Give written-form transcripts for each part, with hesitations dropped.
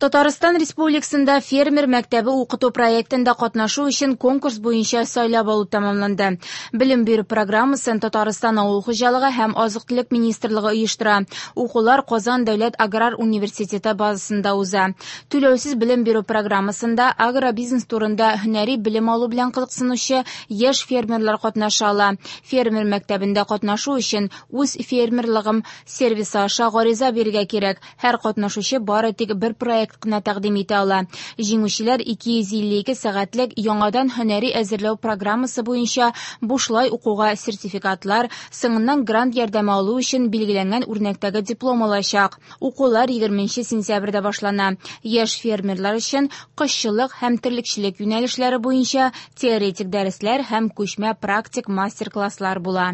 Татарстан Республикасында Фермер мәктәбе укыту проектында катнашу өчен конкурс буенча сайлап алу тәмамланды. Белем бирү программасын Татарстан Авыл хуҗалыгы һәм азык-төлек министрлыгы оештыра. Укулар Казан дәүләт аграр университеты базасында уза. Түләүсез белем бирү программасында агробизнес турында һөнәри белем алу белән кызыксынучы яшь фермерлар катнаша ала. Фермер мәктәбендә катнашу өчен үз фермерлыгым сервисы аша гариза бирергә кирәк. Һәр катнашучы бары тик бер проект кына тәкъдим итә ала. Җиңүчеләр 252 сәгатьлек яңадан һөнәри әзерләү программасы буенча бушлай укуга сертификатлар, соңыннан грант ярдәме алу өчен билгеләнгән үрнәктәге диплом алачак. Укулар 20 сентябрьдә башлана. Яшь фермерлар өчен кошчылык һәм терлекчелек юнәлешләре буенча теоретик дәресләр һәм күчмә практик мастер-класслар була.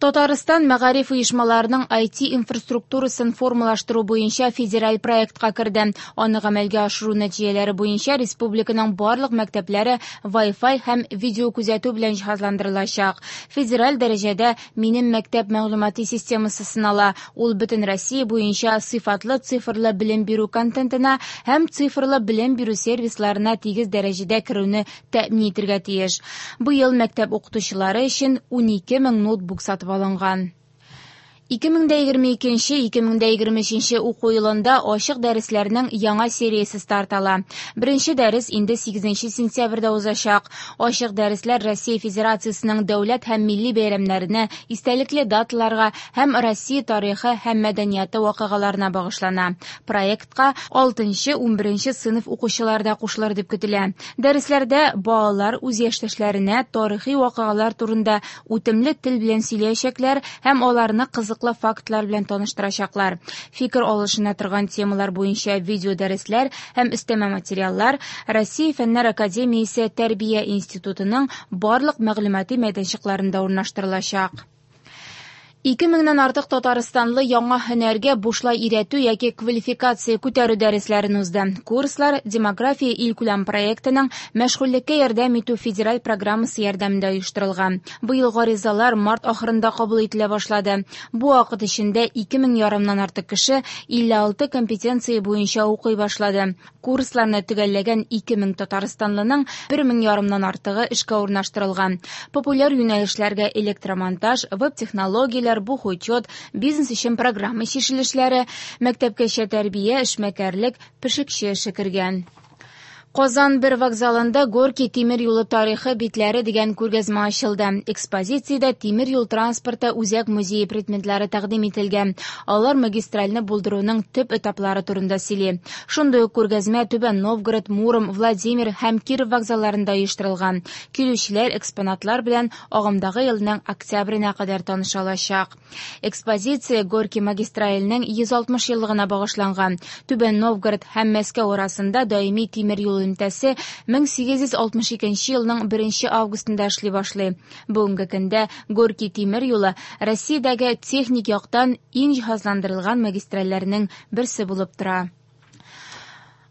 Татарстан мәгариф оешмаларының IT-инфраструктурасын формалаштыру буенча федераль проектка керде. Аны гамәлгә ашыру нәтиҗәләре буенча республиканың барлык мәктәпләре Wi-Fi һәм видеокүзәтү белән җиһазландырылачак. Федераль дәрәҗәдә Минем мәктәп мәгълүмати системасы сынала. Ул бөтен Россия буенча сыйфатлы цифрлы белем бирү контентына һәм цифрлы белем бирү сервисларына тигез дәрәҗәдә керүне тәэмин итәргә тиеш. Быел мәктәп укытучылары өчен 12 мең ноутбук сатып алынган. 2022-2023 уку елында ачык дәресләрнең яңа сериясе старт ала. Беренче дәрес инде 8 сентябрьдә узачак. Ачык дәресләр Россия Федерациясенең дәүләт һәм милли бәйрәмнәренә, истәлекле даталарга һәм Россия тарихы һәм мәдәнияте вакыйгаларына багышлана. Проектка 6-11 сыйныф укучылары да кушылыр дип көтелә. Дәресләрдә балалар үз яшьтәшләренә тарихи вакыйгалар турында үтемле тел белән сөйләячәкләр һәм аларны кызыклы фактлар белән таныштырачаклар. Фикер алышына торган темалар буенча видео дәресләр һәм өстәмә материаллар Россия Фәннәр академиясе Тәрбия институтының барлык мәгълүмати мәйданчыкларында урнаштырылачак. 2000-нән артык татарстанлы яңа һөнәргә бушлай өйрәтү яки квалификация күтәрү дәресләрен узды. Курслар Демография илкүләм проектының мәшгульлеккә ярдәм итү федераль программасы ярдәмендә оештырылган. Быел гаризалар март ахырында кабул ителә башлады. Бу вакыт эчендә 2000 ярымнан артык кеше 56 компетенция буенча укый башлады. Курсларны төгәлләгән 2000 татарстанлының 1000 ярымнан артыгы эшкә урнаштырылган. Популяр юнәлешләргә электромонтаж, веб-технологияләр, бухучет, бизнес өчен программа чишелешләре, мәктәпкәчә тәрбия, эшмәкәрлек, пешекче эше кергән. Казан бер вокзалында Горький тимер юлы тарихы битләре дигән күргәзмә ачылды. Экспозициядә тимер юл транспорты үзәк музее предметлары тәкъдим ителгән. Алар магистральны булдыруның төп этаплары турында сөйли. Шундый ук күргәзмә Түбән Новгород, Муром, Владимир һәм Киров вокзалларында оештырылган. Килүчеләр экспонатлар белән агымдагы елның октябренә кадәр таныша алачак. Экспозиция Горький магистраленең 160 еллыгына багышланган. Түбән Новгород һәм Мәскәү арасында даими тимер юл элемтәсе 1862 елның 1 августында эшли башлый. Бүгенге көндә Горький тимер юлы Россиядәге техник яктан иң җиһазландырылган магистральләрнең берсе булып тора.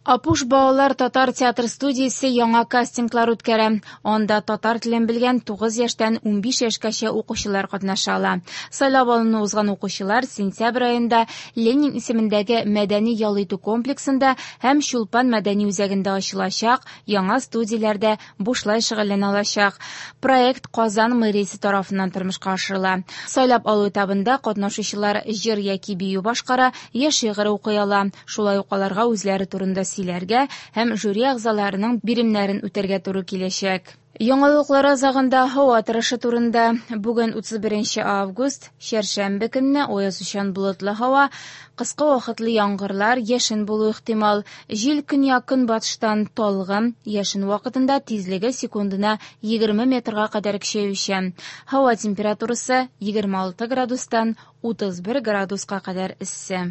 Апуш балалар татар театр студиясе яңа кастинглар үткәрә. Анда татар телен белгән 9 яшьтән 15 яшькәчә укучылар катнаша ала. Сайлап алуны узган укучылар сентябрь аенда Ленин исемендәге мәдәни ял итү комплексында һәм Чулпан мәдәни үзәгендә ачылачак яңа студияләрдә бушлай шөгыльләнә алачак. Проект Казан мэриясе тарафыннан тормышка ашырыла. Сайлап алу этабында катнашучылар җыр яки бию башкара, я шигырь укый ала. Шулай ук аларга үзләре турында сөйләргә һәм жюри әгъзаларының биремнәрен үтәргә туры киләчәк. Яңалыклар азагында һава торышы турында. Бүген 31 август, чәршәмбе көнне аязучан болытлы һава, кыска вакытлы яңгырлар, яшен булу ихтимал. Җил көньяк-көнбатыштан талгын, яшен вакытында тизлеге секундына 20 метрга кадәр көчәючән. Һава температурасы 26 градустан 31 градуска кадәр эссе.